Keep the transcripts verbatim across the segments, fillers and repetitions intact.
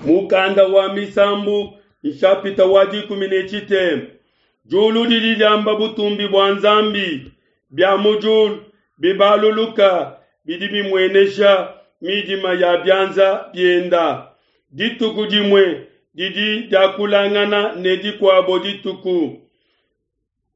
Mukanda wa Misambu nshapita wa dikumi ne tshitema. Diulu didi diamba butumbi bua Nzambi, bia mu diulu bibaluluka bidi bimuenesha midima ya bianza bienda. Dituku dimue didi diakulangana ne dikuabo dituku,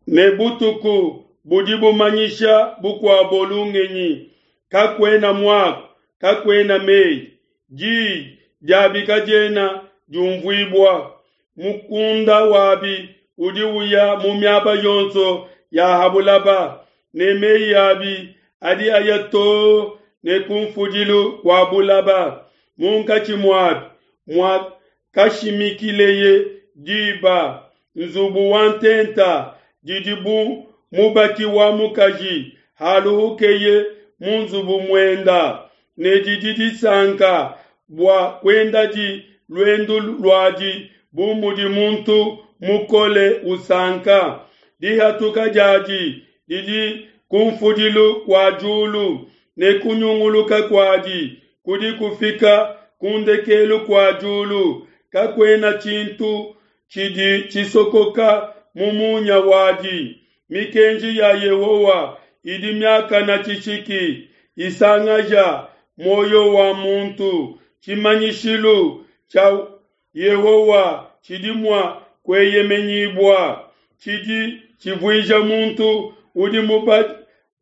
ne butuku budi bumanyisha bukuabo lungenyi. Kakuena muaku, kakuena meyi, diyi diabi kadiena diumvuibua. Mukunda wabi udi uya mu miaba yonso ya ha bulaba, ne meyi abi adi aya too ne kunfudilu kua bulaba. Munkatshi muabi muakashimikileye diba, nzubu wa ntenta didi bu mubaki wa mukaji haluhukeye mu nzubu muenda, ne didi disanka bua kuendadi luendu luadi bu mudi muntu mukole usanka. Dihatuka diadi didi kunfudilu kua diulu, ne kunyunguluka kuadi kudi kufika ku ndekelu kua diulu. Kakuena tshintu tshidi tshisokoka mu munya wadi. Mikenji ya Yehowa idi miakane tshishiki, isangaja muoyo wa muntu. Tshimanyishilu tshia Yehowa tshidi mua kueyemenyibua, tshidi tshivuija muntu udi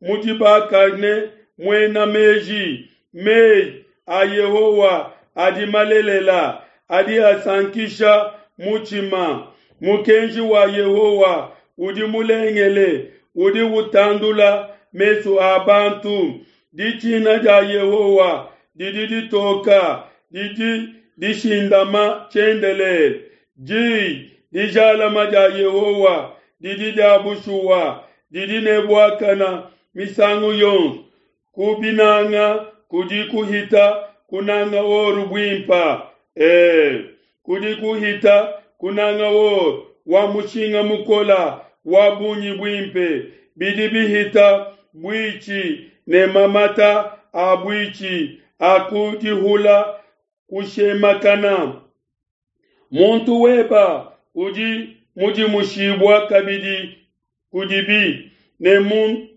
mudibakane muena meji. Meyi a Yehowa adi malelela, adi asankisha mutshima. Mukenji wa Yehowa udi mulengele, udi utandula mesu a bantu. Ditshina dia Yehowa didi ditoka, didi dishindama tshiendelele. Diyi dijalama dia Yehowa didi dia bushuwa, didi ne buakana misangu yonso. Kubinanga kudi kuhita kunanga or buimpe, e, kudi kuhita kunanga or wa mushinga mukole wa bungi buimpe. Bidi bihita buitshi ne mamata a buitshi a ku dihula kushemakana. Muntu weba udi mudimushibua kabidi kudibi, ne mu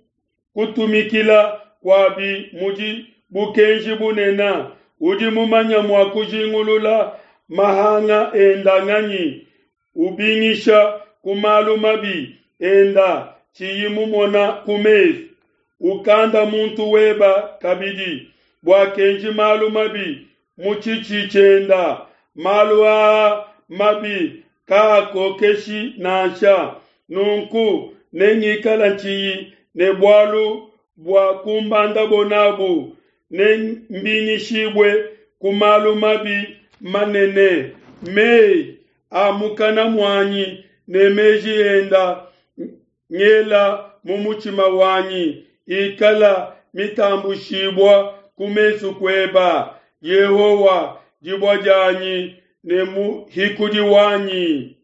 kutumikila kuabi mudi bukenji bunene. Udi mumanya mua kujingulula mahanga enda nganyi? Ubingisha ku malu mabi enda tshiyi mumona ku mesu. Ukanda muntu weba kabidi bua kenji malu mabi mu tshitshi tshienda. Malu aa mabi kaakokeshi nansha. Nunku nengikala ntshiyi ne bualu bua kumbandabo nabu, nembingishibue ku malu mabi manene. Meyi a mukana muanyi ne meji enda ngela mu mutshima wanyi ikala mitambushibua ku mesu kueba, Yehowa, dibue dianyi ne muhikudi wanyi.